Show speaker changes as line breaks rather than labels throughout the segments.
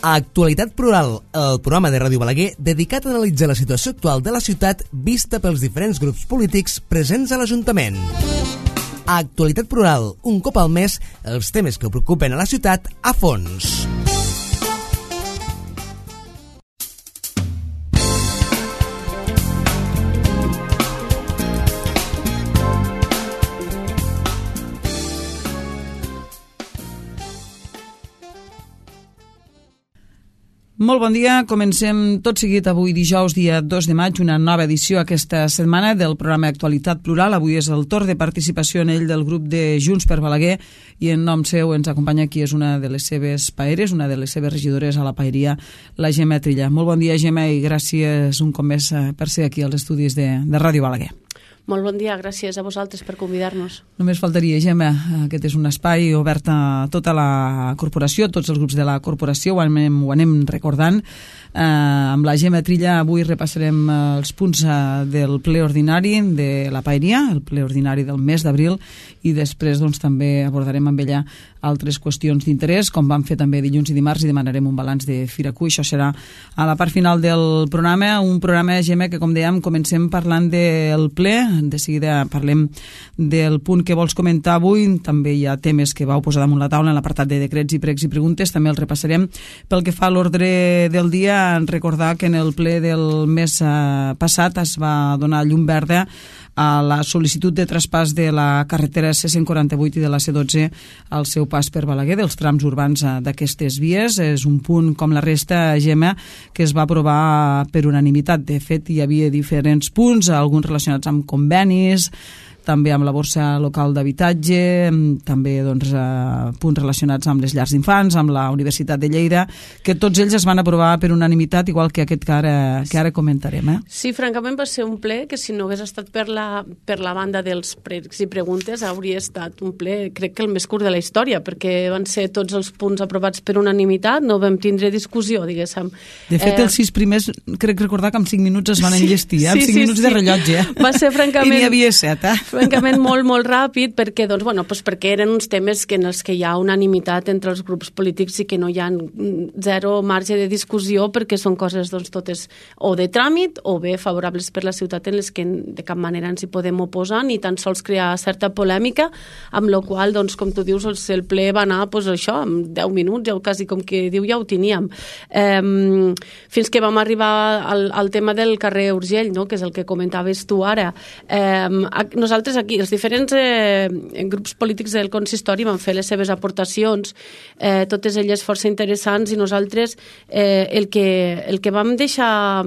Actualitat Plural, el programa de Ràdio Balaguer dedicat a analitzar la situació actual de la ciutat vista pels diferents grups polítics presents a l'Ajuntament. Actualitat Plural, un cop al mes, els temes que preocupen a la ciutat a fons.
Molt bon dia, comencem tot seguit avui dijous, dia 2 de maig, una nova edició aquesta setmana del programa Actualitat Plural. Avui és el torn de participació en ell del grup de Junts per Balaguer i en nom seu ens acompanya aquí és una de les seves paeres, una de les seves regidores a la paeria, la Gemma Trilla. Molt bon dia, Gemma, i gràcies un cop més per ser aquí als estudis de Ràdio Balaguer.
Molt bon dia, gràcies a vosaltres per convidar-nos.
Només faltaria, Gemma, aquest és un espai obert a tota la corporació, tots els grups de la corporació, ho anem recordant. Amb la Gemma Trilla avui repassarem els punts del ple ordinari de la paeria, el ple ordinari del mes d'abril, i després també abordarem amb ella altres qüestions d'interès, com vam fer també dilluns i dimarts, i demanarem un balanç de Firacu. Això serà a la part final del programa, un programa, Gemma, que com dèiem comencem parlant del ple, de seguida parlem del punt que vols comentar avui, també hi ha temes que vau posar damunt la taula en l'apartat de decrets i pregs i preguntes, també els repassarem. Pel que fa a l'ordre del dia, recordar que en el ple del mes passat es va donar llum verda a la sol·licitud de traspàs de la carretera C148 i de la C12 al seu pas per Balaguer, dels trams urbans d'aquestes vies. És un punt, com la resta, Gemma, que es va aprovar per unanimitat. De fet, hi havia diferents punts, alguns relacionats amb convenis, també amb la borsa local d'habitatge, també punts relacionats amb les llars d'infants, amb la Universitat de Lleida, que tots ells es van aprovar per unanimitat, igual que aquest que ara comentarem.
Sí, francament va ser un ple que si no hagués estat per la banda dels pregs i preguntes hauria estat un ple, crec que el més curt de la història, perquè van ser tots els punts aprovats per unanimitat, no vam tindre discussió, diguéssim.
De fet, els 6 primers, crec recordar que en 5 minuts es van enllestir, amb 5 minuts de rellotge.
Va ser francament...
I n'hi havia 7,
francament molt ràpid, perquè eren uns temes en els que hi ha unanimitat entre els grups polítics i que no hi ha zero marge de discussió, perquè són coses totes o de tràmit o bé favorables per la ciutat en les que de cap manera ens hi podem oposar ni tan sols crear certa polèmica, amb la qual, com tu dius, el ple va anar això, en 10 minuts, ja quasi com que diu ja ho teníem. Fins que vam arribar al tema del carrer Urgell, no? Que és el que comentaves tu ara. Nosaltres aquí, els diferents grups polítics del consistori van fer les seves aportacions, totes elles força interessants, i nosaltres el que vam deixar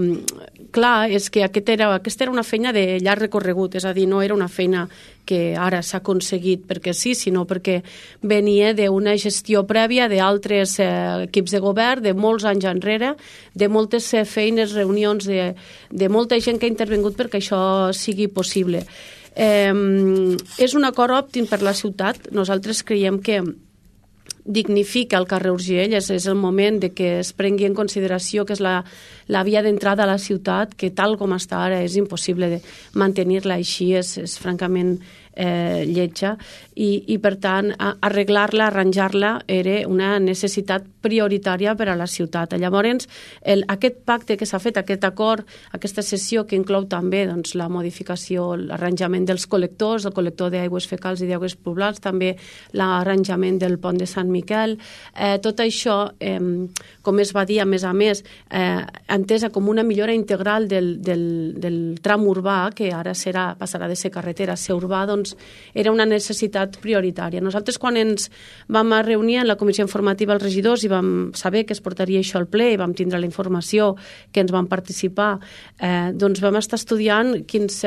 clar és que aquesta era una feina de llarg recorregut, és a dir, no era una feina que ara s'ha aconseguit perquè sí, sinó perquè venia d'una gestió prèvia d'altres equips de govern, de molts anys enrere, de moltes feines, reunions, de molta gent que ha intervingut perquè això sigui possible. És un acord òptim per la ciutat. Nosaltres creiem que dignifica el carrer Urgell, és el moment de que es prengui en consideració que és la via d'entrada a la ciutat, que tal com està ara és impossible de mantenir-la així, és francament lletja, i per tant arreglar-la, arranjar-la era una necessitat prioritària per a la ciutat. Llavors, aquest pacte que s'ha fet, aquest acord, aquesta sessió que inclou també la modificació, l'arranjament dels col·lectors, el col·lector d'aigües fecals i d'aigües pluvials, també l'arranjament del pont de Sant Miquel, tot això, com es va dir, a més, entesa com una millora integral del tram urbà, que ara passarà de ser carretera a ser urbà, era una necessitat prioritària. Nosaltres, quan ens vam reunir en la comissió informativa els regidors i vam saber que es portaria això al ple i vam tindre la informació que ens van participar, vam estar estudiant quines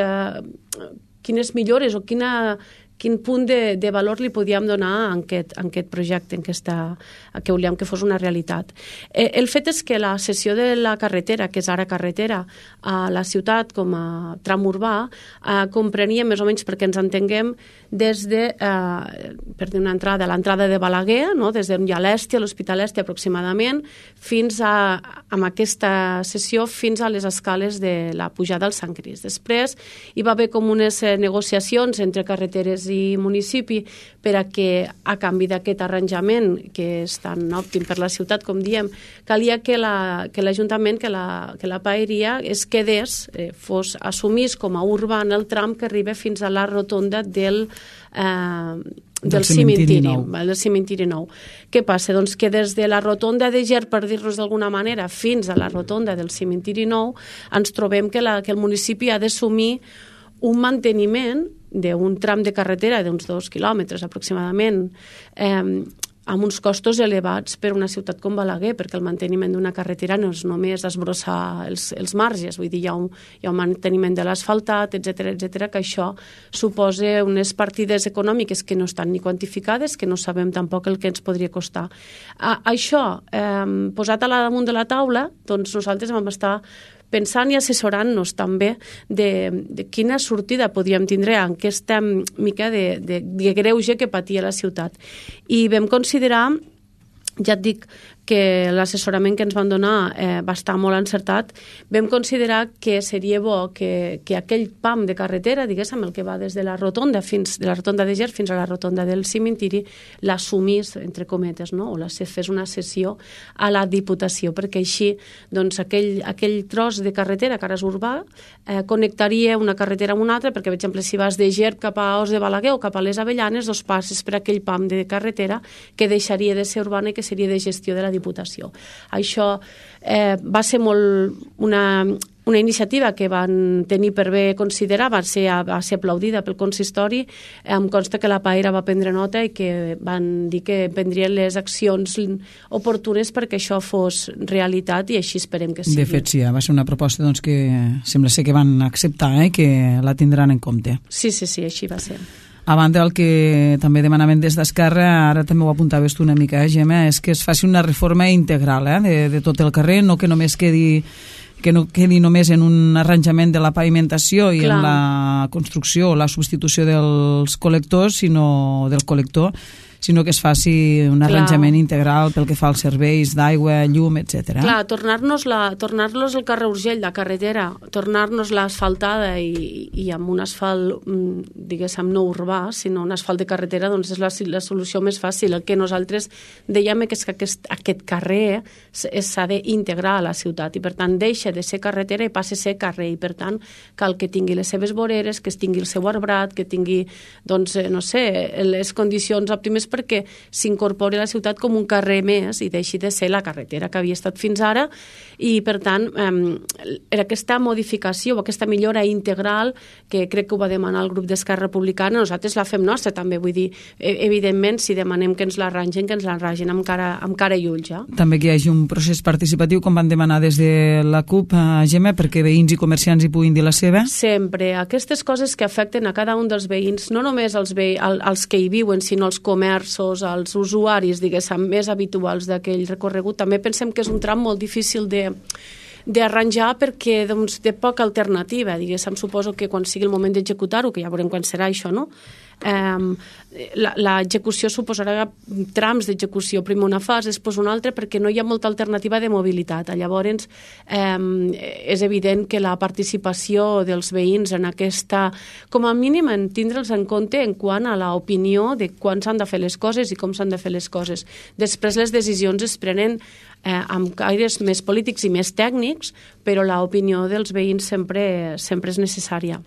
millores o quin punt de valor li podíem donar a aquest projecte, que volíem que fos una realitat. El fet és que la cessió de la carretera, que és ara carretera, a la ciutat com a tram urbà, comprenia més o menys, perquè ens entenguem, des de l'entrada de Balaguer, no? Des d'on hi ha l'Èstia, l'Hospital Èstia aproximadament, fins amb aquesta cessió fins a les escales de la pujada al Sant Crist. Després hi va haver com unes negociacions entre carreteres Artés i municipi, per a que, a canvi d'aquest arranjament, que és tan òptim per la ciutat, com diem, calia que l'Ajuntament, que la paeria es quedés, assumís com a urbà en el tram que arriba fins a la rotonda del cimentiri nou. Què passa? Doncs que des de la rotonda de Ger, per dir-nos d'alguna manera, fins a la rotonda del cimentiri nou, ens trobem que el municipi ha d'assumir un manteniment d'un tram de carretera d'uns 2 quilòmetres aproximadament, amb uns costos elevats per una ciutat com Balaguer, perquè el manteniment d'una carretera no és només esbrossar els marges, vull dir, hi ha un manteniment de l'asfaltat, etc, que això suposa unes partides econòmiques que no estan ni quantificades, que no sabem tampoc el que ens podria costar. Això, posat a damunt de la taula, doncs nosaltres vam estar pensant i assessorant-nos també de quina sortida podríem tindre en aquesta mica de greuge que patia la ciutat. I vam considerar, ja et dic, que l'assessorament que ens van donar va estar molt encertat. Vam considerar que seria bo que aquell pam de carretera, diguéssim, el que va des de la rotonda de Ger fins a la rotonda del cimentiri, l'assumís, entre cometes, no? O fes una cessió a la Diputació, perquè així doncs, aquell tros de carretera que ara és urbà connectaria una carretera amb una altra, perquè, per exemple, si vas de Ger cap a Os de Balaguer o cap a les Avellanes, doncs passes per aquell pam de carretera que deixaria de ser urbana i que seria de gestió de la Diputació. Això va ser molt una iniciativa que van tenir per bé considerar, va ser aplaudida pel consistori. Em consta que la Paera va prendre nota i que van dir que prendrien les accions oportunes perquè això fos realitat, i així esperem que sigui.
De fet, sí, va ser una proposta doncs, que sembla ser que van acceptar i que la tindran en compte.
Sí, així va ser.
A banda del que també demanaven des d'Esquerra, ara també ho apuntaves tu una mica, Gemma, és que es faci una reforma integral de tot el carrer, no que només quedi només en un arranjament de la pavimentació i en la construcció o la substitució dels col·lectors, sinó del col·lector, sinó que es faci un arranjament integral pel que fa als serveis d'aigua, llum, etc.
Clar, tornar-nos el carrer Urgell, la carretera, tornar-nos-la asfaltada i amb un asfalt, diguéssim, no urbà, sinó un asfalt de carretera, doncs és la solució més fàcil. El que nosaltres dèiem és que aquest carrer s'ha d'integrar a la ciutat i, per tant, deixa de ser carretera i passa a ser carrer, i, per tant, cal que tingui les seves voreres, que tingui el seu arbrat, que tingui, doncs, no sé, les condicions òptimes perquè s'incorpori a la ciutat com un carrer més i deixi de ser la carretera que havia estat fins ara, i per tant aquesta modificació o aquesta millora integral que crec que ho va demanar el grup d'Esquerra Republicana, nosaltres la fem nostra també, vull dir, evidentment si demanem que ens l'arrangen amb cara i ulls.
També que hi hagi un procés participatiu com van demanar des de la CUP, Gemma, perquè veïns i comerciants hi puguin dir la seva?
Sempre, aquestes coses que afecten a cada un dels veïns, no només els que hi viuen, sinó els comerços, als usuaris, diguéssim, més habituals d'aquell recorregut. També pensem que és un tram molt difícil d'arranjar perquè doncs, té poca alternativa, diguéssim. Suposo que quan sigui el moment d'executar-ho, que ja veurem quan serà això, no? L'execució suposarà trams d'execució, primer una fase, després una altra, perquè no hi ha molta alternativa de mobilitat. Llavors és evident que la participació dels veïns en aquesta, com a mínim en tindre'ls en compte en quant a l'opinió de quan s'han de fer les coses i com s'han de fer les coses. Després les decisions es prenen amb caires més polítics i més tècnics, però l'opinió dels veïns sempre és necessària.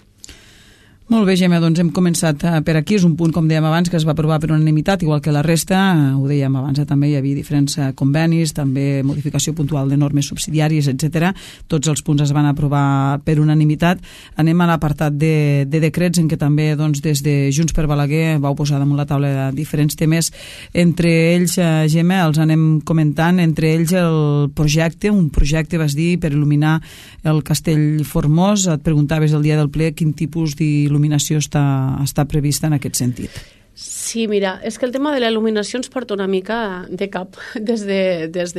Molt bé, Gemma, doncs hem començat per aquí. És un punt, com dèiem abans, que es va aprovar per unanimitat, igual que la resta. Ho dèiem abans, també hi havia diferents convenis, també modificació puntual de normes subsidiàries, etc. Tots els punts es van aprovar per unanimitat. Anem a l'apartat de decrets, en què també doncs, des de Junts per Balaguer vau posar damunt la taula diferents temes. Entre ells, Gemma, els anem comentant, entre ells un projecte, vas dir, per il·luminar el Castell Formós. Et preguntaves el dia del ple quin tipus d'il·luminació està prevista en aquest sentit.
Sí, mira, és que el tema de la il·luminació ens porta una mica de cap des de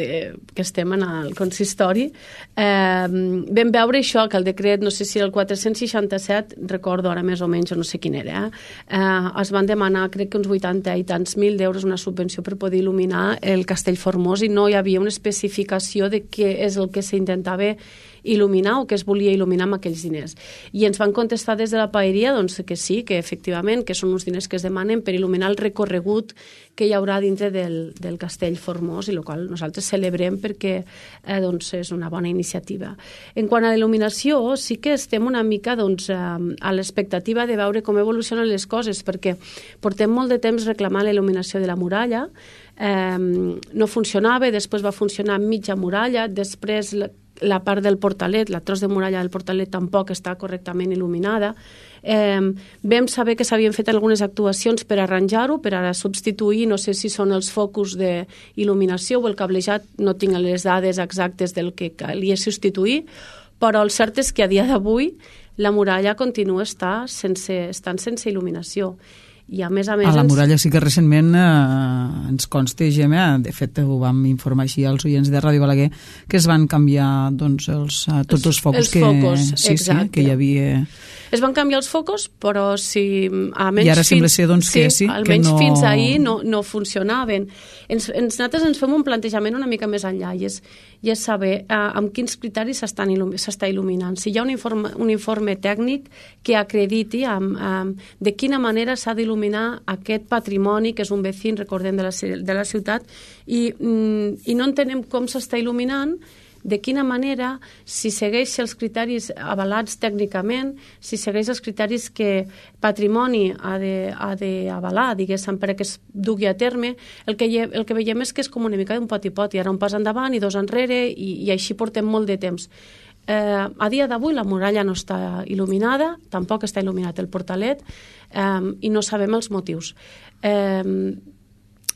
que estem en el consistori. Vam veure això, que el decret, no sé si el 467, recordo ara més o menys, no sé quin era, es van demanar, crec que uns 80 i tants mil d'euros, una subvenció per poder il·luminar el Castell Formós, i no hi havia una especificació de què és el que s'intentava il·luminar o què es volia il·luminar amb aquells diners. I ens van contestar des de la paeria doncs, que sí, que efectivament que són uns diners que es demanen per il·luminar el recorregut que hi haurà dintre del Castell Formós, i el qual nosaltres celebrem perquè doncs, és una bona iniciativa. En quant a l'il·luminació, sí que estem una mica doncs, a l'expectativa de veure com evolucionen les coses, perquè portem molt de temps reclamant la il·luminació de la muralla, no funcionava, després va funcionar mitja muralla, després la part del portalet, la tros de muralla del portalet tampoc està correctament il·luminada. Vam saber que s'havien fet algunes actuacions per arranjar-ho, per ara substituir, no sé si són els focus d'il·luminació o el cablejat, no tinc les dades exactes del que calia substituir, però el cert és que a dia d'avui la muralla continua estant sense il·luminació. I a més... A la
muralla sí que recentment ens consta, Gemma, de fet ho vam informar així als oients de Ràdio Balaguer, que es van canviar doncs, tots els focus que hi havia.
Es van canviar els focus, però almenys
i ara sembla ser doncs, que
almenys fins ahir no funcionaven. Nosaltres ens fem un plantejament una mica més enllà, i és saber amb quins criteris s'està il·luminant. Si hi ha un informe tècnic que acrediti de quina manera s'ha d'il·luminar aquest patrimoni, que és un vecín, recordem, de la ciutat, i no entenem com s'està il·luminant, de quina manera, si segueix els criteris avalats tècnicament, si segueix els criteris que patrimoni ha d'avalar, diguéssim, perquè es dugui a terme. El que veiem és que és com una mica d'un pot i pot, i ara un pas endavant i dos enrere, i així portem molt de temps. A dia d'avui la muralla no està il·luminada, tampoc està il·luminat el portalet, i no sabem els motius.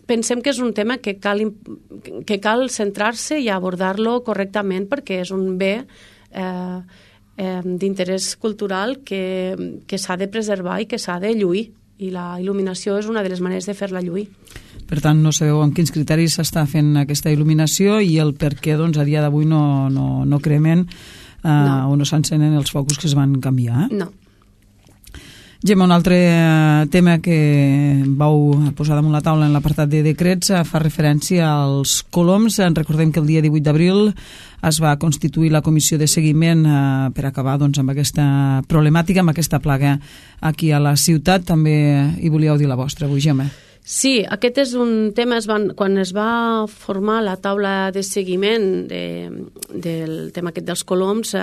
Pensem que és un tema que cal centrar-se i abordar-lo correctament, perquè és un bé d'interès cultural que s'ha de preservar i que s'ha de lluir, i la il·luminació és una de les maneres de fer-la lluir.
Per tant, no sabeu amb quins criteris s'està fent aquesta il·luminació i el per què doncs, a dia d'avui no cremen o no s'encenen els focus que es van canviar.
No.
Gemma, un altre tema que vau posar damunt la taula en l'apartat de decrets fa referència als coloms. Recordem que el dia 18 d'abril es va constituir la comissió de seguiment per acabar doncs, amb aquesta problemàtica, amb aquesta plaga aquí a la ciutat. També hi volíeu dir la vostra avui, Gemma.
Sí, aquest és un tema, quan es va formar la taula de seguiment del tema aquest dels coloms,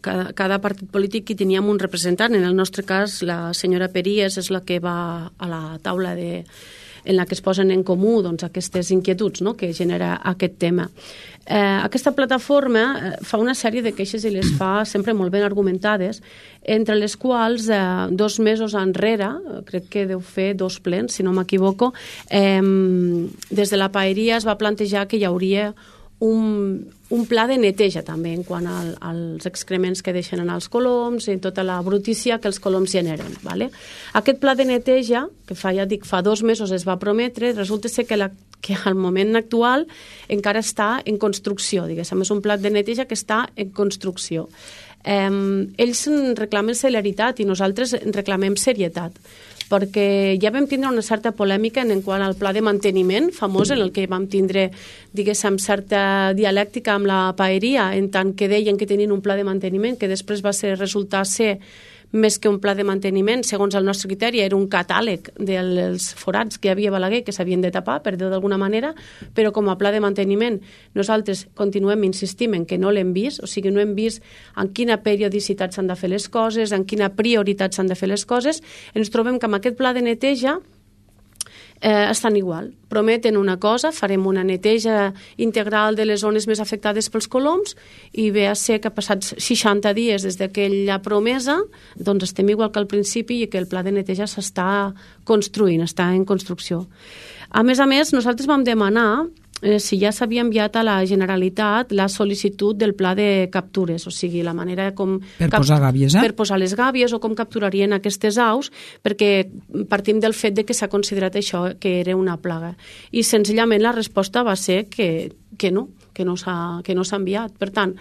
cada partit polític hi teníem un representant. En el nostre cas, la senyora Peries és la que va a la taula en la que es posen en comú doncs, aquestes inquietuds, no?, que genera aquest tema. Aquesta plataforma fa una sèrie de queixes i les fa sempre molt ben argumentades, entre les quals 2 mesos enrere, crec que deu fer 2 plens, si no m'equivoco, des de la paeria es va plantejar que hi hauria un pla de neteja també en quant als excrements que deixen anar els coloms i tota la brutícia que els coloms generen. Vale? Aquest pla de neteja, que fa 2 mesos es va prometre, resulta ser que al moment actual encara està en construcció, diguéssim, és un pla de neteja que està en construcció. Ells reclamen celeritat i nosaltres reclamem serietat, perquè ja vam tindre una certa polèmica en quant al pla de manteniment famós, en el que vam tindre, diguéssim, certa dialèctica amb la paeria, en tant que deien que tenien un pla de manteniment que després va resultar ser més que un pla de manteniment, segons el nostre criteri, era un catàleg dels forats que hi havia a Balaguer que s'havien de tapar, per dir-ho d'alguna manera, però com a pla de manteniment nosaltres continuem insistint en que no l'hem vist, o sigui, no hem vist en quina periodicitat s'han de fer les coses, en quina prioritat s'han de fer les coses. Ens trobem que amb aquest pla de neteja estan igual. Prometen una cosa, farem una neteja integral de les zones més afectades pels coloms, i ve a ser que passats 60 dies des d'aquella promesa, doncs estem igual que al principi i que el pla de neteja s'està construint, està en construcció. A més, nosaltres vam demanar si ja s'havia enviat a la Generalitat la sol·licitud del pla de captures, o sigui, la manera com...
Per posar gàbies,
Per posar les gàbies o com capturarien aquestes aus, perquè partim del fet de que s'ha considerat això que era una plaga. I senzillament la resposta va ser que no s'ha enviat. Per tant,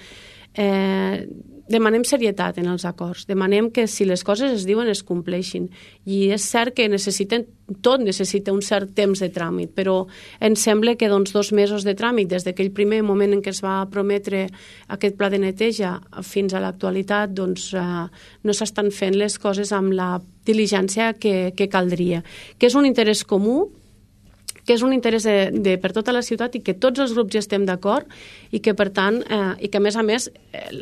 demanem serietat en els acords, demanem que si les coses es diuen es compleixin, i és cert que tot necessita un cert temps de tràmit, però ens sembla que 2 mesos de tràmit des d'aquell primer moment en què es va prometre aquest pla de neteja fins a l'actualitat, doncs no s'estan fent les coses amb la diligència que caldria, que és un interès comú, que és un interès per tota la ciutat i que tots els grups hi estem d'acord i que, per tant, i que a més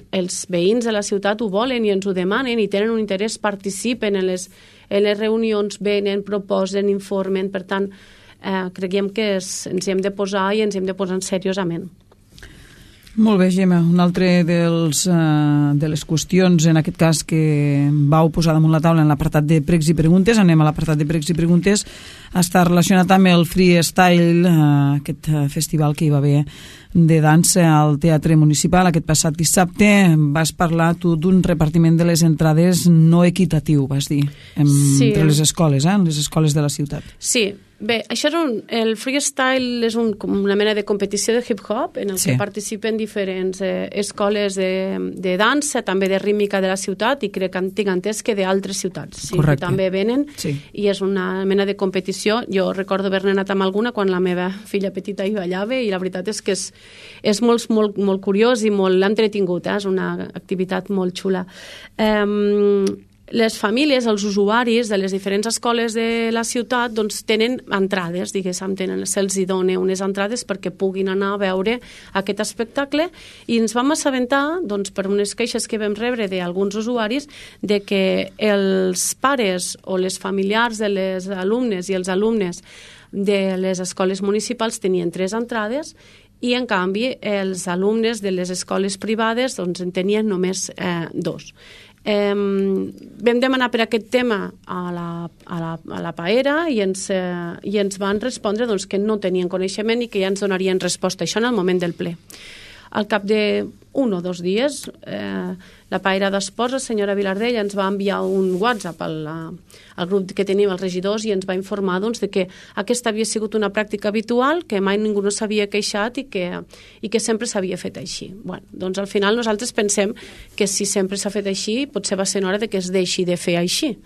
els veïns de la ciutat ho volen i ens ho demanen i tenen un interès, participen en les reunions, venen, proposen, informen. Per tant, creiem que ens hi hem de posar i ens hi hem de posar seriosament.
Molt bé, Gemma. Un altre de les qüestions, en aquest cas, que vau posar damunt la taula en l'apartat de pregs i preguntes, anem a l'apartat de pregs i preguntes, està relacionat amb el Freestyle, aquest festival que hi va haver de dansa al Teatre Municipal aquest passat dissabte. Vas parlar tu d'un repartiment de les entrades no equitatiu, vas dir, entre les escoles, les escoles de la ciutat.
Sí. Bé, això el freestyle és una mena de competició de hip-hop en el que participen diferents escoles de dansa, també de rítmica de la ciutat, i crec que tinc entès que d'altres ciutats que també venen, i és una mena de competició. Jo recordo haver-ne anat amb alguna quan la meva filla petita hi ballava, i la veritat és que és molt curiós i molt entretingut, és una activitat molt xula. Les famílies, els usuaris de les diferents escoles de la ciutat, doncs tenen entrades, diguéssim, se'ls dona unes entrades perquè puguin anar a veure aquest espectacle, i ens vam assabentar, doncs, per unes queixes que vam rebre d'alguns usuaris, de que els pares o les familiars de les alumnes i els alumnes de les escoles municipals tenien 3 entrades, i en canvi els alumnes de les escoles privades doncs en tenien només 2. Vam demanar per aquest tema a la PAERA i ens van respondre doncs, que no tenien coneixement i que ja ens donarien resposta, això en el moment del ple. Al cap de 1 o 2 dies, la PAERA d'Esports, la senyora Vilardell, ens va enviar un WhatsApp al grup que tenim els regidors i ens va informar doncs, de que aquesta havia sigut una pràctica habitual, que mai ningú no s'havia queixat i que sempre s'havia fet així. Bueno, doncs al final nosaltres pensem que si sempre s'ha fet així, potser va ser hora de que es deixi de fer així.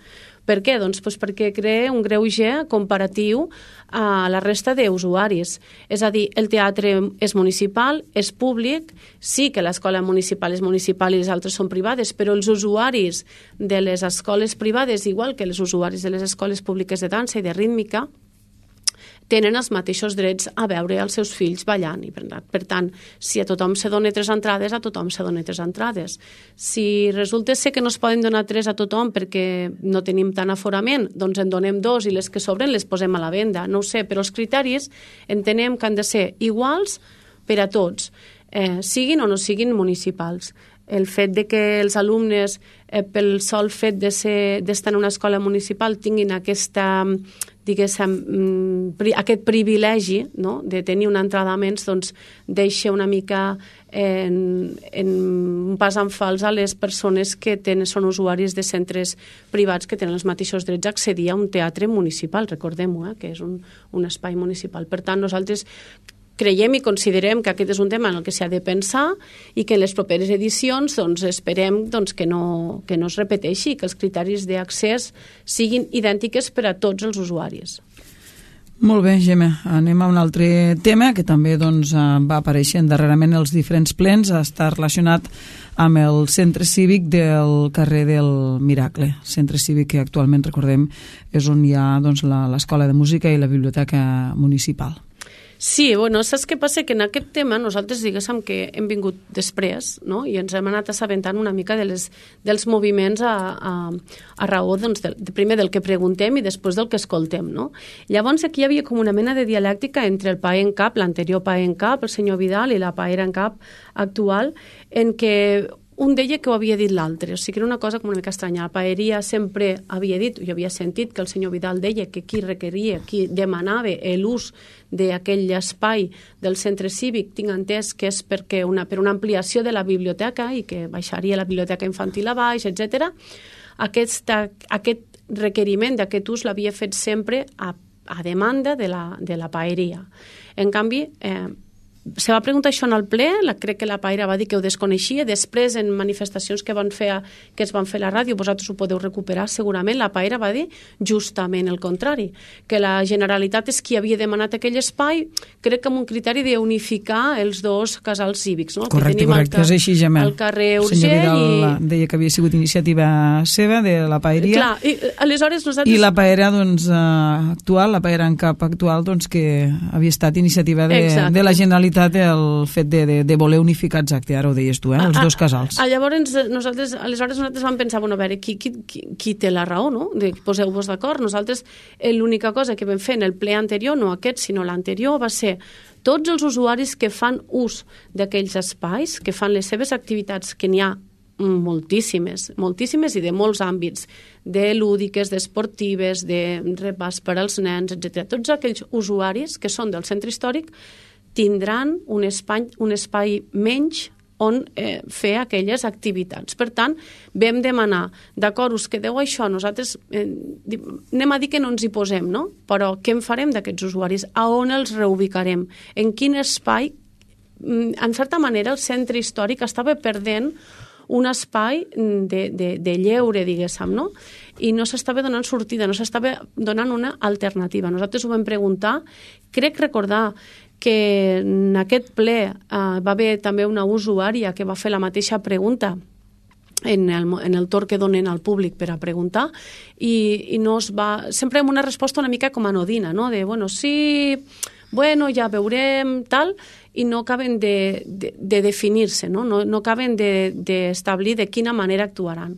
Per què? Doncs perquè crea un greuge comparatiu a la resta d'usuaris. És a dir, el teatre és municipal, és públic, sí que l'escola municipal és municipal i les altres són privades, però els usuaris de les escoles privades, igual que els usuaris de les escoles públiques de dansa i de rítmica, tenen els mateixos drets a veure els seus fills ballant. I per tant, si a tothom se dona 3 entrades, a tothom se dona 3 entrades. Si resulta ser que no es poden donar 3 a tothom perquè no tenim tant aforament, doncs en donem 2 i les que sobren les posem a la venda. No ho sé, però els criteris entenem que han de ser iguals per a tots, siguin o no siguin municipals. El fet de que els alumnes, pel sol fet d'estar en una escola municipal, tinguin aquest privilegi, no?, de tenir una entrada menys, doncs deixa una mica en un pas en fals a les persones que són usuaris de centres privats que tenen els mateixos drets a accedir a un teatre municipal, recordem-ho, que és un espai municipal. Per tant, nosaltres creiem i considerem que aquest és un tema en el que s'ha de pensar i que en les properes edicions doncs, esperem doncs, que no es repeteixi, que els criteris d'accés siguin idèntics per a tots els usuaris.
Molt bé, Gemma. Anem a un altre tema que també doncs, va aparèixer darrerament els diferents plens. Està relacionat amb el centre cívic del carrer del Miracle. Centre cívic que actualment, recordem, és on hi ha doncs, l'escola de música i la biblioteca municipal.
Sí, bueno, saps què passa? Que en aquest tema nosaltres diguéssim que hem vingut després, no?, i ens hem anat assabentant una mica dels moviments a raó, doncs, primer del que preguntem i després del que escoltem, no? Llavors aquí hi havia com una mena de dialèctica entre el PAE en cap, l'anterior PAE en cap, el senyor Vidal, i la PAERA en cap actual, en què un deia que ho havia dit l'altre, o sigui que era una cosa com una mica estranya. La PAERA sempre havia dit, jo havia sentit que el senyor Vidal deia que qui requeria, qui demanava l'ús d'aquell espai del centre cívic, tinc entès que és per una ampliació de la biblioteca i que baixaria la biblioteca infantil a baix, etc. Aquest requeriment d'aquest ús l'havia fet sempre a demanda de la PAERA. En canvi, se va preguntar això en el ple, crec que la Paira va dir que ho desconeixia, després en manifestacions que es van fer a la ràdio, vosaltres ho podeu recuperar segurament, la Paira va dir justament el contrari, que la Generalitat és qui havia demanat aquell espai, crec que amb un criteri d'unificar els dos casals cívics, no?
Correcte, és així, Gemma.
El carrer
Urgell. El senyor Vidal deia que havia sigut iniciativa seva, de la Paeria.
Clar, i aleshores nosaltres...
I la Paera, doncs, actual, la Paera en cap actual, doncs, que havia estat iniciativa de la Generalitat el fet de voler unificar, exacte, ara ho deies tu, els dos casals.
Aleshores nosaltres vam pensar, bueno, a veure, qui té la raó, no? Poseu-vos d'acord. Nosaltres l'única cosa que vam fer en el ple anterior, no aquest, sinó l'anterior, va ser tots els usuaris que fan ús d'aquells espais, que fan les seves activitats, que n'hi ha moltíssimes i de molts àmbits, de lúdiques, d'esportives, de repàs per als nens, etc. Tots aquells usuaris que són del centre històric tindran un espai menys on fer aquelles activitats. Per tant, vam demanar, d'acord, us quedeu això, nosaltres anem a dir que no ens hi posem, no? Però què en farem d'aquests usuaris? A on els reubicarem? En quin espai? En certa manera, el centre històric estava perdent un espai de lleure, diguéssim, no? I no s'estava donant sortida, no s'estava donant una alternativa. Nosaltres ho vam preguntar, crec recordar que en aquest ple va haver també una usuària que va fer la mateixa pregunta en el torn que donen al públic per a preguntar i no es va... Sempre amb una resposta una mica com anodina, no? De, bueno, sí, bueno, ja veurem, tal, i no acaben de definir-se, no? No acaben d'establir de quina manera actuaran.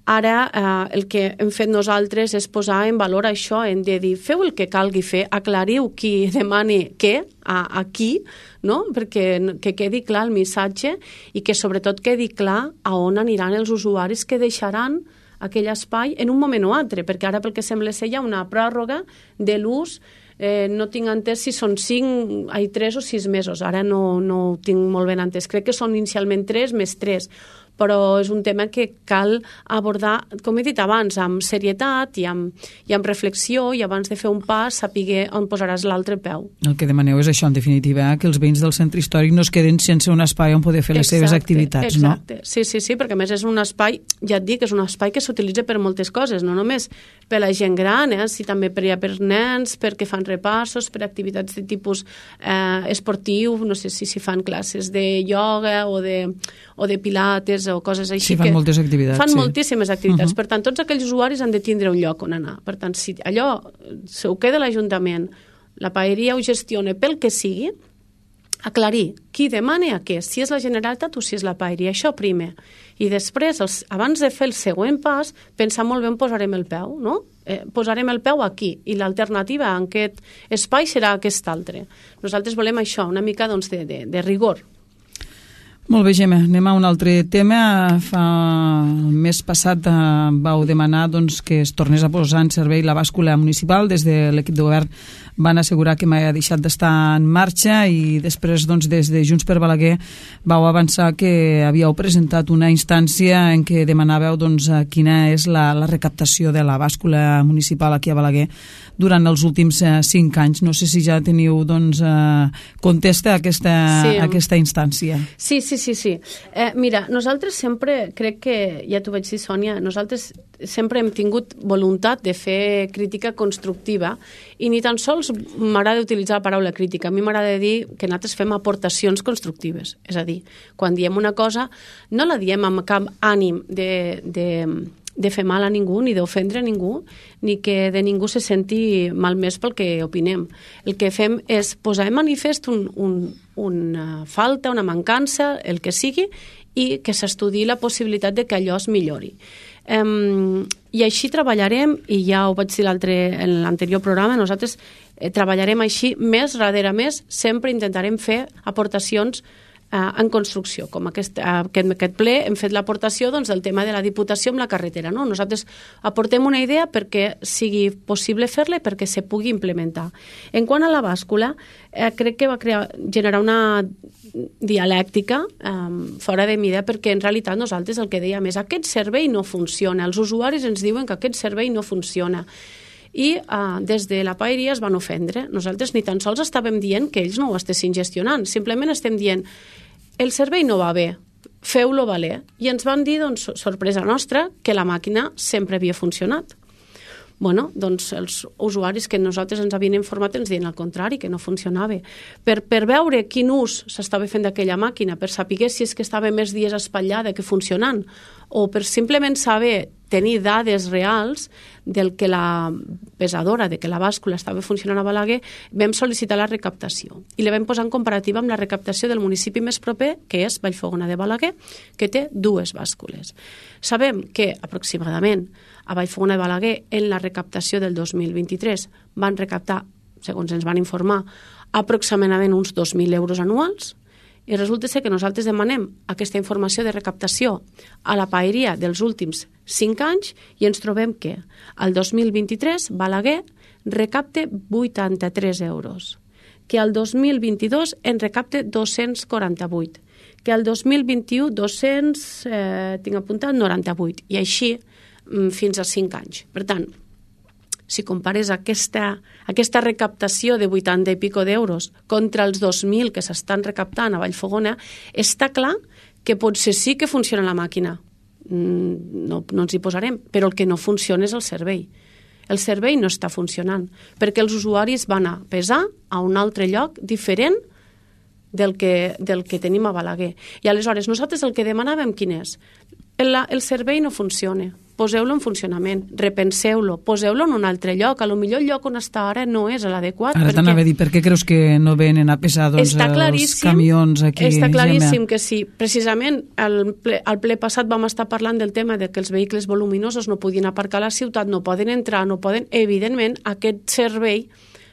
Ara el que hem fet nosaltres és posar en valor això, en de dir, feu el que calgui fer, aclariu qui demani què, a qui, no? Perquè que quedi clar el missatge i que sobretot quedi clar a on aniran els usuaris que deixaran aquell espai en un moment o altre, perquè ara pel que sembla ser hi ha una pròrroga de l'ús, no tinc entès si són 3 o 6 mesos, ara no ho tinc molt ben entès, crec que són inicialment 3 més 3, però és un tema que cal abordar, com he dit abans, amb serietat i amb reflexió, i abans de fer un pas saber on posaràs l'altre peu.
El que demaneu és això, en definitiva, que els veïns del centre històric no es queden sense un espai on poder fer les seves activitats, no?
Exacte, sí, perquè a més és un espai, ja et dic, és un espai que s'utilitza per moltes coses, no només per la gent gran, si també per nens, perquè fan repassos, per activitats de tipus esportiu, no sé si fan classes de ioga o de pilates o coses així.
Sí, fan moltes activitats.
Fan moltíssimes activitats. Per tant, tots aquells usuaris han de tindre un lloc on anar. Per tant, si allò se ho queda l'Ajuntament, la Paeria ho gestiona pel que sigui, aclarir qui demana a què, si és la Generalitat o si és la Paeria, això primer. I després, abans de fer el següent pas, pensar molt bé on posarem el peu, no? Posarem el peu aquí i l'alternativa en aquest espai serà aquest altre. Nosaltres volem això, una mica doncs, de rigor.
Molt bé, Gemma, anem a un altre tema. El mes passat vau demanar que es tornés a posar en servei la bàscula municipal. Des de l'equip de govern van assegurar que mai ha deixat d'estar en marxa i després des de Junts per Balaguer vau avançar que havíeu presentat una instància en què demanàveu quina és la recaptació de la bàscula municipal aquí a Balaguer durant els últims 5 anys. No sé si ja teniu contesta aquesta instància.
Sí. Mira, nosaltres sempre, crec que, ja t'ho vaig dir, Sònia, nosaltres sempre hem tingut voluntat de fer crítica constructiva i ni tan sols m'agrada utilitzar la paraula crítica. A mi m'agrada dir que nosaltres fem aportacions constructives. És a dir, quan diem una cosa, no la diem amb cap ànim de fer mal a ningú, ni d'ofendre a ningú, ni que de ningú se senti malmès pel que opinem. El que fem és posar en manifest una falta, una mancança, el que sigui, i que s'estudiï la possibilitat de que allò es millori. I així treballarem, i ja ho vaig dir en l'anterior programa, nosaltres treballarem així més darrere més, sempre intentarem fer aportacions en construcció, com aquest ple hem fet l'aportació del tema de la Diputació amb la carretera, no? Nosaltres aportem una idea perquè sigui possible fer-la i perquè se pugui implementar. En quant a la bàscula, crec que va generar una dialèctica fora de mida, perquè en realitat nosaltres el que dèiem és aquest servei no funciona, els usuaris ens diuen que aquest servei no funciona. i des de la paeria es van ofendre. Nosaltres ni tan sols estàvem dient que ells no ho estessin gestionant, simplement estem dient el servei no va bé, feu-lo valer. I ens van dir, doncs, sorpresa nostra, que la màquina sempre havia funcionat. Bueno, doncs els usuaris que nosaltres ens havien informat ens diuen al contrari, que no funcionava. Per veure quin ús s'estava fent d'aquella màquina, per saber si és que estava més dies espatllada que funcionant, o per simplement saber, tenir dades reals del que la pesadora, de que la bàscula estava funcionant a Balaguer, vam sol·licitar la recaptació. I la vam posar en comparativa amb la recaptació del municipi més proper, que és Vallfogona de Balaguer, que té 2 bàscules. Sabem que aproximadament a Vallfogona de Balaguer, en la recaptació del 2023, van recaptar, segons ens van informar, aproximadament uns 2.000 euros anuals, i resulta ser que nosaltres demanem aquesta informació de recaptació a la paeria dels últims 5 anys i ens trobem que al 2023 Balaguer recapte 83 euros, que al 2022 en recapte 248, que al 2021 tinc apuntat 98, i així fins a 5 anys. Per tant, si compares aquesta recaptació de 80 i pico d'euros contra els 2.000 que s'estan recaptant a Vallfogona, està clar que potser sí que funciona la màquina. No ens hi posarem, però el que no funciona és el servei. El servei no està funcionant, perquè els usuaris van a pesar a un altre lloc diferent del que tenim a Balaguer. I aleshores nosaltres el que demanàvem quin és? El servei no funciona, poseu-lo en funcionament, repenseu-lo, poseu-lo en un altre lloc, a lo millor el lloc on està ara no és l'adequat.
Ara t'anava a dir, per què creus que no venen a pesar els camions aquí?
Està claríssim que sí. Precisament al ple passat vam estar parlant del tema de que els vehicles voluminosos no podien aparcar a la ciutat, no poden entrar, no poden... Evidentment, aquest servei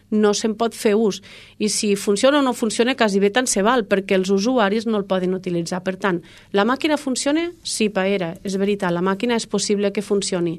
no se'n pot fer ús. I si funciona o no funciona, quasi bé tant se val, perquè els usuaris no el poden utilitzar. Per tant, la màquina funciona? Sí, paera, és veritat, la màquina és possible que funcioni.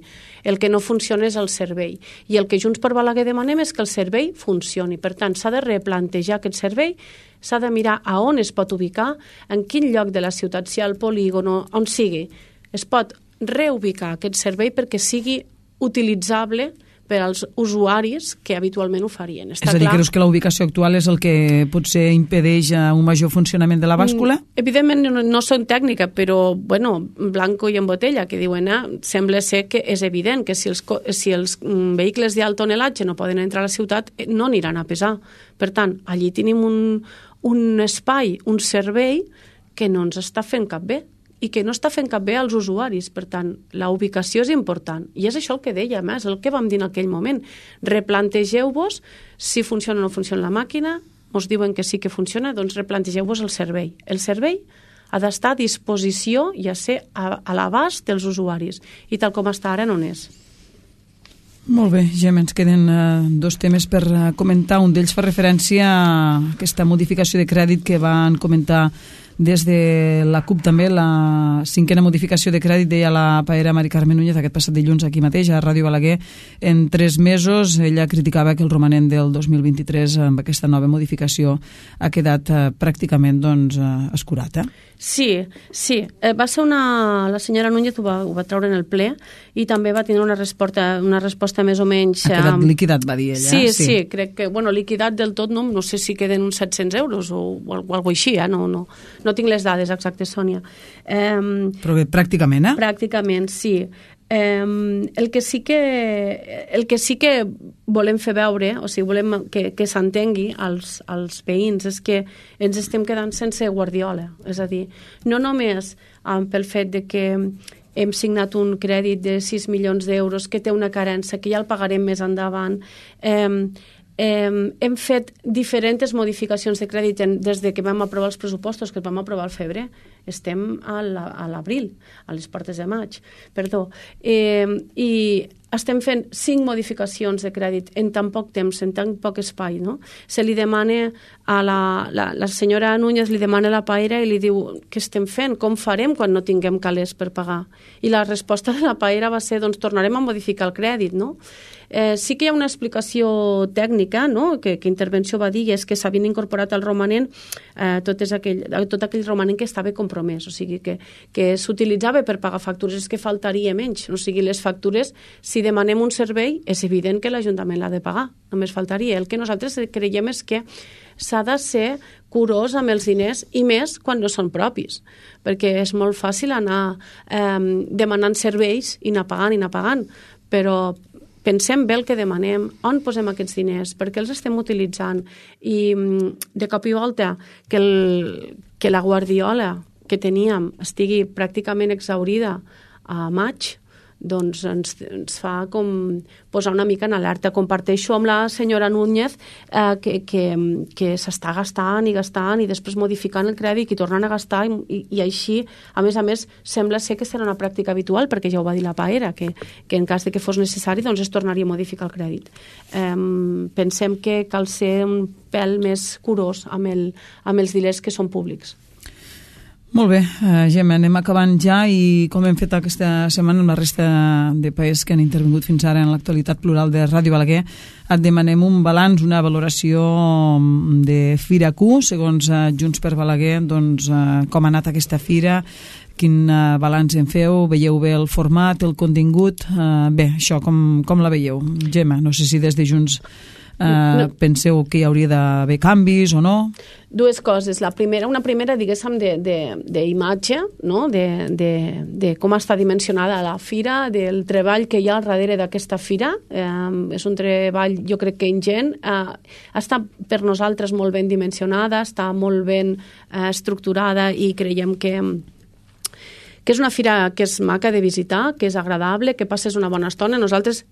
El que no funciona és el servei. I el que Junts per Balaguer demanem és que el servei funcioni. Per tant, s'ha de replantejar aquest servei, s'ha de mirar a on es pot ubicar, en quin lloc de la ciutat, si al polígon, on sigui. Es pot reubicar aquest servei perquè sigui utilitzable per als usuaris que habitualment ho farien.
És a dir, creus que la ubicació actual és el que potser impedeix un major funcionament de la bàscula?
Evidentment no són tècnica, però, bueno, blanco i en botella, que diuen, sembla ser que és evident que si els vehicles d'alt tonelatge no poden entrar a la ciutat, no aniran a pesar. Per tant, allí tenim un espai, un servei que no ens està fent cap bé i que no està fent cap bé als usuaris. Per tant, la ubicació és important. I és això el que dèiem, és el que vam dir en aquell moment. Replantegeu-vos si funciona o no funciona la màquina, us diuen que sí que funciona, doncs replantegeu-vos el servei. El servei ha d'estar a disposició i a ser a l'abast dels usuaris. I tal com està ara no n'és.
Molt bé, Gemma, ens queden 2 temes per comentar. Un d'ells fa referència a aquesta modificació de crèdit que van comentar des de la CUP també, la 5a modificació de crèdit, deia la paera Mari Carmen Núñez aquest passat dilluns aquí mateix a Ràdio Balaguer, en 3 mesos. Ella criticava que el romanent del 2023 amb aquesta nova modificació ha quedat pràcticament escurat.
Sí. Va ser la senyora Núñez ho va treure en el ple i també va tenir una resposta més o menys...
Ha quedat liquidat, va dir ella.
Sí, crec que, liquidat del tot, no sé si queden uns 700 euros o alguna cosa així, no tinc les dades exactes, Sònia.
Però bé, pràcticament,
Pràcticament, sí. El que sí que volem fer veure, o sigui, volem que s'entengui als veïns, és que ens estem quedant sense guardiola. És a dir, no només pel fet de que hem signat un crèdit de 6 milions d'euros que té una carència, que ja el pagarem més endavant, hem fet diferents modificacions de crèdit des de que vam aprovar els pressupostos, que els vam aprovar al febrer. Estem a l'abril, a les portes de maig, perdó. I estem fent 5 modificacions de crèdit en tan poc temps, en tan poc espai, no? Se li demana a la senyora Núñez, li demana a la paera i li diu què estem fent, com farem quan no tinguem calés per pagar? I la resposta de la paera va ser, doncs tornarem a modificar el crèdit, no? Sí que hi ha una explicació tècnica, no?, que Intervenció va dir, és que s'havien incorporat al romanent tot aquell romanent que estava compromès, o sigui que s'utilitzava per pagar factures, és que faltaria menys, o sigui, les factures, si si demanem un servei, és evident que l'Ajuntament l'ha de pagar, només faltaria. El que nosaltres creiem és que s'ha de ser curós amb els diners i més quan no són propis, perquè és molt fàcil anar demanant serveis i anar pagant, però pensem bé el que demanem, on posem aquests diners, per què els estem utilitzant, i de cop i volta que la guardiola que teníem estigui pràcticament exhaurida a maig, doncs ens fa com posar una mica en alerta. Comparteixo amb la senyora Núñez que s'està gastant i després modificant el crèdit i tornant a gastar i així, a més, sembla ser que serà una pràctica habitual, perquè ja ho va dir la Paera, que en cas de que fos necessari doncs es tornaria a modificar el crèdit. Pensem que cal ser un pèl més curós amb els diners que són públics.
Molt bé, Gemma, anem acabant ja i com hem fet aquesta setmana amb la resta de països que han intervingut fins ara en l'actualitat plural de Ràdio Balaguer, et demanem un balanç, una valoració de Fira Q, segons Junts per Balaguer, doncs, com ha anat aquesta fira, quin balanç en feu, veieu bé el format, el contingut, bé, això com la veieu? Gemma, no sé si des de Junts penseu que hi hauria d'haver canvis o no?
Dues coses. Una primera, diguéssim, d'imatge, no? de com està dimensionada la fira, del treball que hi ha al darrere d'aquesta fira. És un treball, jo crec que ingent. Està per nosaltres molt ben dimensionada, està molt ben estructurada i creiem que és una fira que és maca de visitar, que és agradable, que passes una bona estona. Nosaltres,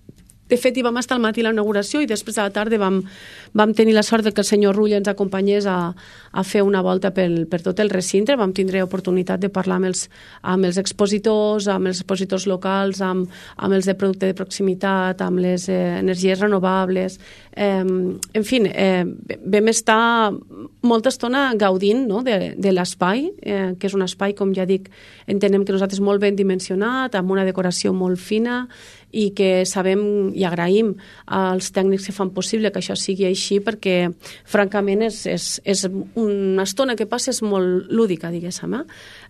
de fet, hi vam estar al matí a la inauguració i després a la tarda vam tenir la sort que el senyor Rull ens acompanyés a fer una volta per tot el recinte. Vam tindre oportunitat de parlar amb els expositors locals, amb els de producte de proximitat, amb les energies renovables. En fi, vam estar molta estona gaudint, no? de l'espai, que és un espai, com ja dic, entenem que nosaltres molt ben dimensionat, amb una decoració molt fina, i que sabem i agraïm als tècnics que fan possible que això sigui així, perquè francament és una estona que passa és molt lúdica, diguéssim.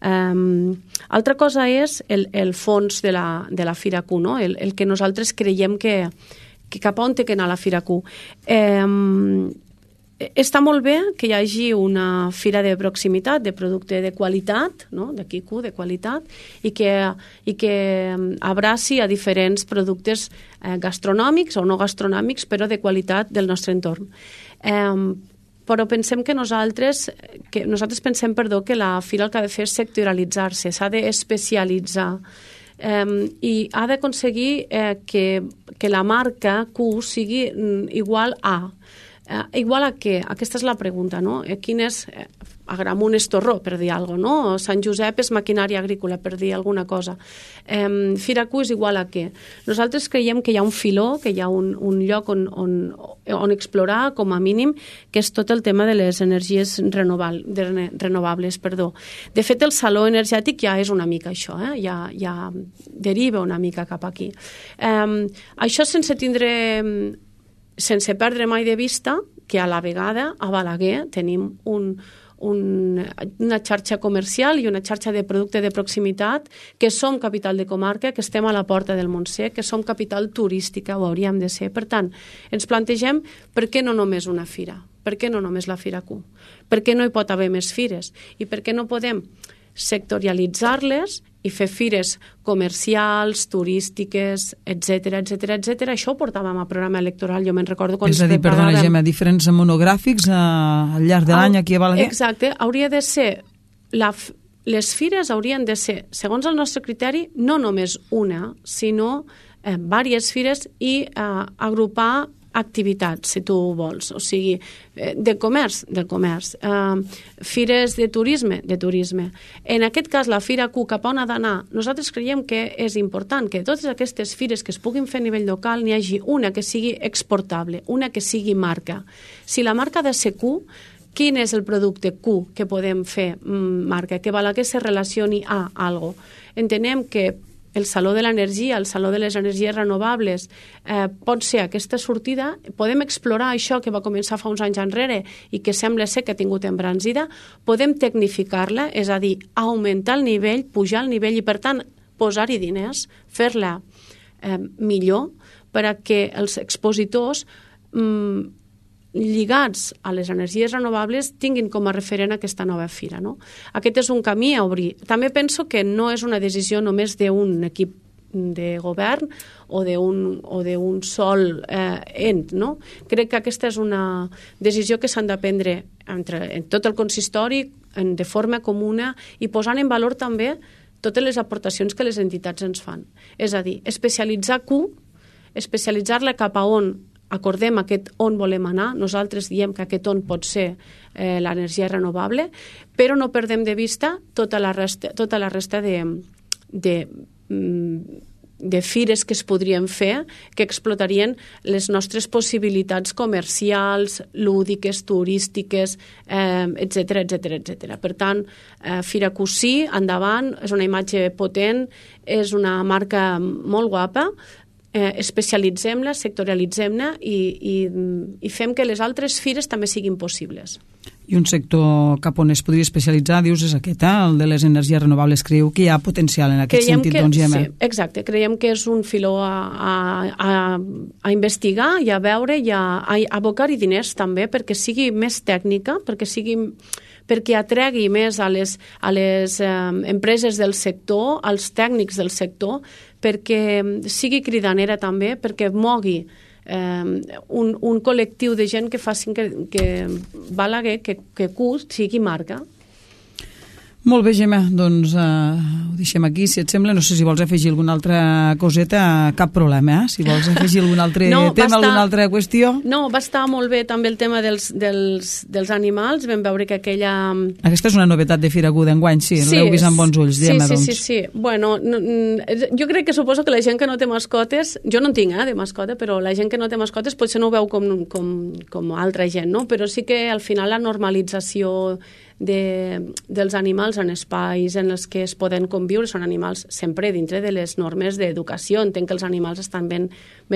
Altra cosa és el fons de la Fira Q, no? El que nosaltres creiem que cap on té que anar la Fira Q. Està molt bé que hi hagi una fira de proximitat, de producte de qualitat, no? de Q, de qualitat, i que abraci a diferents productes gastronòmics o no gastronòmics, però de qualitat del nostre entorn. Però pensem que nosaltres pensem, que la fira el que ha de fer és sectorialitzar-se, s'ha d'especialitzar, i ha d'aconseguir que la marca Q sigui igual a. Igual a què? Aquesta és la pregunta, no? Quin és... Agramunt és torró, per dir alguna cosa, no? Sant Josep és maquinària agrícola, per dir alguna cosa. Fira Q és igual a què? Nosaltres creiem que hi ha un filó, que hi ha un lloc on explorar, com a mínim, que és tot el tema de les energies renovables. De fet, el saló energètic ja és una mica això, ja deriva una mica cap aquí. Això sense perdre mai de vista que a la vegada a Balaguer tenim una xarxa comercial i una xarxa de producte de proximitat, que som capital de comarca, que estem a la porta del Montsec, que som capital turística, ho hauríem de ser. Per tant, ens plantegem per què no només una fira? Per què no només la Fira Q? Per què no hi pot haver més fires? I per què no podem sectorialitzar-les i fer fires comercials, turístiques, etc. Això ho portàvem al programa electoral, jo me'n recordo quan...
És a dir, perdona, Gemma, diferents monogràfics al llarg de l'any aquí a Balaguer?
Exacte, hauria de ser... Les fires haurien de ser, segons el nostre criteri, no només una, sinó diverses fires i agrupar activitats, si tu vols, o sigui, del comerç, fires de turisme. En aquest cas, la Fira Q, cap on ha d'anar? Nosaltres creiem que és important que totes aquestes fires que es puguin fer a nivell local n'hi hagi una que sigui exportable, una que sigui marca. Si la marca ha de ser Q, quin és el producte Q que podem fer marca? Que Balaguer se relacioni a algo. Entenem que el Saló de l'Energia, el Saló de les Energies Renovables, pot ser aquesta sortida. Podem explorar això que va començar fa uns anys enrere i que sembla ser que ha tingut embranzida. Podem tecnificar-la, és a dir, augmentar el nivell, pujar el nivell i, per tant, posar-hi diners, fer-la millor per a que els expositors lligats a les energies renovables tinguin com a referent aquesta nova fira, no? Aquest és un camí a obrir. També penso que no és una decisió només d'un equip de govern o d'un sol ent, no? Crec que aquesta és una decisió que s'han de prendre en tot el consistori de forma comuna i posant en valor també totes les aportacions que les entitats ens fan. És a dir, especialitzar Q, especialitzar-la cap a on acordem aquest on volem anar. Nosaltres diem que aquest on pot ser l'energia renovable, però no perdem de vista tota la resta de fires que es podrien fer, que explotarien les nostres possibilitats comercials, lúdiques, turístiques, etc etc. Per tant, Fira Cosí, endavant, és una imatge potent, és una marca molt guapa, especialitzem-la, sectorialitzem-la i fem que les altres fires també siguin possibles.
I un sector cap on es podria especialitzar, dius, és aquest, el de les energies renovables. Creieu que hi ha potencial en aquest sentit, doncs, Gemma?
Sí, exacte. Creiem que és un filó a investigar i a veure i a abocar-hi diners també perquè sigui més tècnica, perquè atregui més a les empreses del sector, als tècnics del sector, perquè sigui cridanera també, perquè mogui un col·lectiu de gent que facin que Balaguer, que Q sigui marca.
Molt bé, Gemma, doncs ho deixem aquí, si et sembla. No sé si vols afegir alguna altra coseta, cap problema, Si vols afegir algun altre tema, alguna altra qüestió.
No, va estar molt bé també el tema dels animals, vam veure que aquella...
Aquesta és una novetat de Fira Q d'enguany, sí, l'heu vist amb bons ulls, Gemma, doncs.
Sí. Bueno, jo crec que suposo que la gent que no té mascotes, jo no en tinc, de mascota, però la gent que no té mascotes potser no ho veu com altra gent, no? Però sí que al final la normalització dels animals en espais en els que es poden conviure, són animals sempre dintre de les normes d'educació. Entenc que els animals estan ben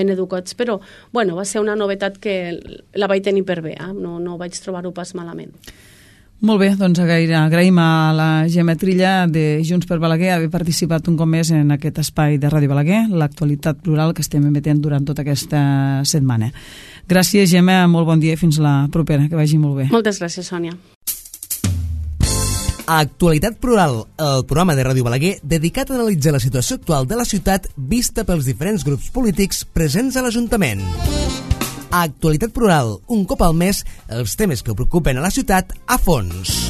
educats, però bueno, va ser una novetat que la vaig tenir per bé, no vaig trobar-ho pas malament.
Molt bé, doncs agraïm a la Gemma Trilla de Junts per Balaguer haver participat un cop més en aquest espai de Ràdio Balaguer, l'actualitat plural que estem emetent durant tota aquesta setmana. Gràcies, Gemma, molt bon dia i fins la propera, que vagi molt bé.
Moltes gràcies, Sònia.
Actualitat Plural, el programa de Ràdio Balaguer dedicat a analitzar la situació actual de la ciutat vista pels diferents grups polítics presents a l'Ajuntament. Actualitat Plural, un cop al mes, els temes que preocupen a la ciutat a fons.